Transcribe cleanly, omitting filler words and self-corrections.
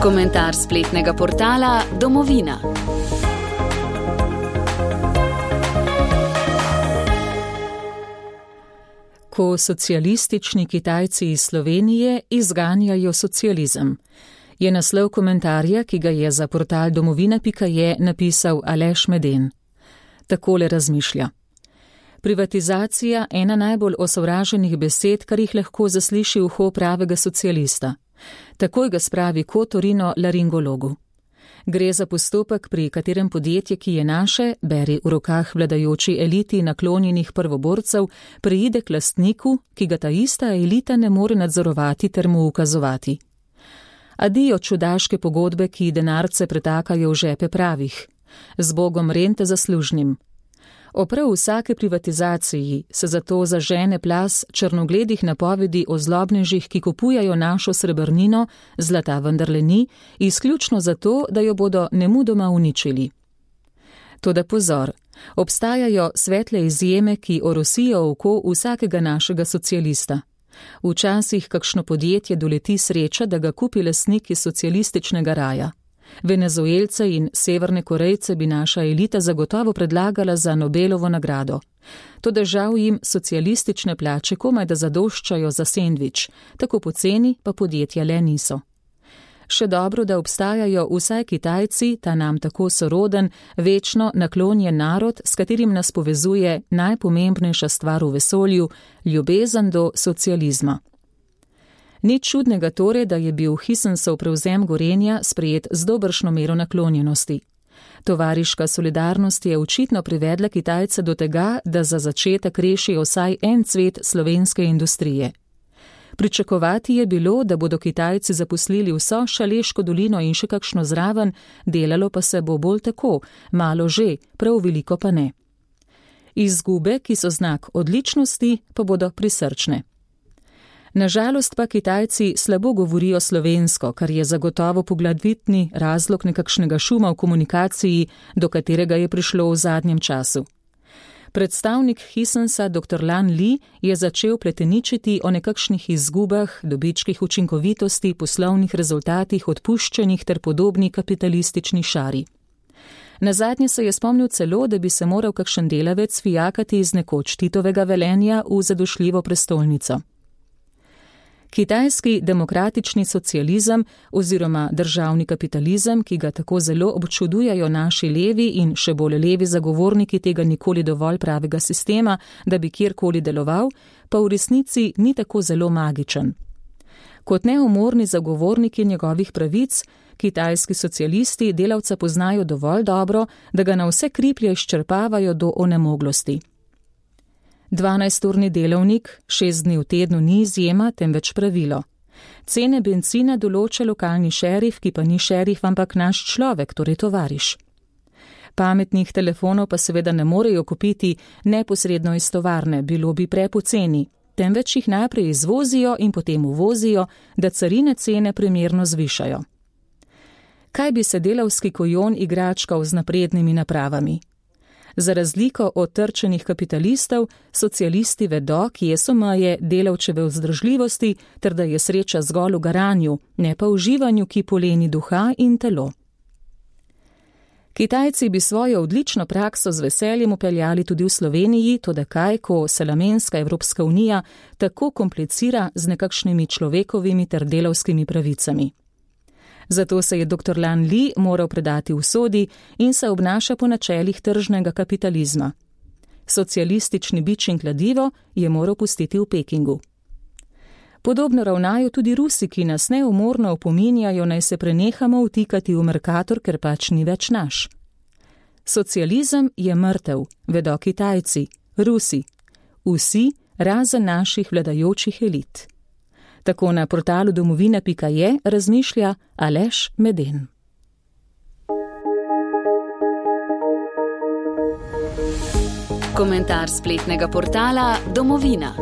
Komentar spletnega portala Domovina. Ko socialistični Kitajci iz Slovenije izganjajo socializem, je naslov komentarja, ki ga je za portal domovina.je napisal Aleš Meden. Takole razmišlja. Privatizacija ena najbolj osovraženih besed, kar jih lahko zasliši uho pravega socialista. Takoj ga spravi kotorino laringologu. Gre za postopek, pri katerem podjetje, ki je naše, beri v rokah vladajoči eliti naklonjenih prvoborcev, preide k lastniku, ki ga ta ista elita ne more nadzorovati ter mu ukazovati. Adijo čudaške pogodbe, ki denarce pretakajo v žepe pravih. Z Bogom rente zaslužnim. O prav vsake privatizaciji se zato zažene plas črnogledih napovedi o zlobnežih, ki kupujajo našo srebrnino, zlata vendarle ni, izključno zato, da jo bodo nemudoma uničili. Toda pozor, obstajajo svetle izjeme, ki orosijo oko vsakega našega socialista. Včasih kakšno podjetje doleti sreča, da ga kupi lastnik iz socialističnega raja. Venezuelce in Severne Korejce bi naša elita zagotovo predlagala za Nobelovo nagrado. Toda žal jim socialistične plače komaj da zadoščajo za sendvič, tako poceni pa podjetja le niso. Še dobro, da obstajajo vsaj Kitajci, ta nam tako soroden, večno naklonjen narod, s katerim nas povezuje najpomembnejša stvar v vesolju, ljubezen do socializma. Nič čudnega torej, da je bil Hisensov prevzem Gorenja sprejet z dobršno mero naklonjenosti. Tovariška solidarnost je očitno privedla Kitajce do tega, da za začetek rešijo vsaj en cvet slovenske industrije. Pričakovati je bilo, da bodo Kitajci zaposlili vso Šaleško dolino in še kakšno zraven, delalo pa se bo bolj tako, malo že, prav veliko pa ne. Izgube, ki so znak odličnosti, pa bodo prisrčne. Nažalost pa Kitajci slabo govorijo slovensko, kar je zagotovo poglavitni razlog nekakšnega šuma v komunikaciji, do katerega je prišlo v zadnjem času. Predstavnik Hisensa dr. Lan Li je začel pleteničiti o nekakšnih izgubah, dobičkih učinkovitosti, poslovnih rezultatih, odpuščenih ter podobni kapitalistični šari. Nazadnje se je spomnil celo, da bi se moral kakšen delavec fijakati iz nekoč Titovega Velenja v zadošljivo prestolnico. Kitajski demokratični socializem oziroma državni kapitalizem, ki ga tako zelo občudujajo naši levi in še bolj levi zagovorniki tega nikoli dovolj pravega sistema, da bi kjerkoli deloval, pa v resnici ni tako zelo magičen. Kot neumorni zagovorniki njegovih pravic, kitajski socialisti delavca poznajo dovolj dobro, da ga na vse kriplje izčrpavajo do onemoglosti. 12-urni delovnik, 6 dni v tednu ni izjema, temveč pravilo. Cene bencina določa lokalni šerif, ki pa ni šerif, ampak naš človek, torej tovariš. Pametnih telefonov pa seveda ne morejo kupiti neposredno iz tovarne, bilo bi prepoceni, temveč jih najprej izvozijo in potem uvozijo, da carine cene primerno zvišajo. Kaj bi se delavski kojon igračkal z naprednimi napravami? Za razliko od trčenih kapitalistov, socialisti vedo, kje so meje delavčeve vzdržljivosti, ter da je sreča zgolj v garanju, ne pa v uživanju, ki poleni duha in telo. Kitajci bi svojo odlično prakso z veseljem upeljali tudi v Sloveniji, toda kaj, ko se namenska Evropska unija tako komplicira z nekakšnimi človekovimi ter delavskimi pravicami. Zato se je dr. Lan Li moral predati usodi in se obnaša po načelih tržnega kapitalizma. Socialistični bič in kladivo je moral pustiti v Pekingu. Podobno ravnajo tudi Rusi, ki nas neumorno opominjajo, naj se prenehamo vtikati v Mercator, ker pač ni več naš. Socializem je mrtev, vedo Kitajci, Rusi, vsi razen naših vladajočih elit. Tako na portalu domovina.je razmišlja Aleš Meden. Komentar spletnega portala Domovina.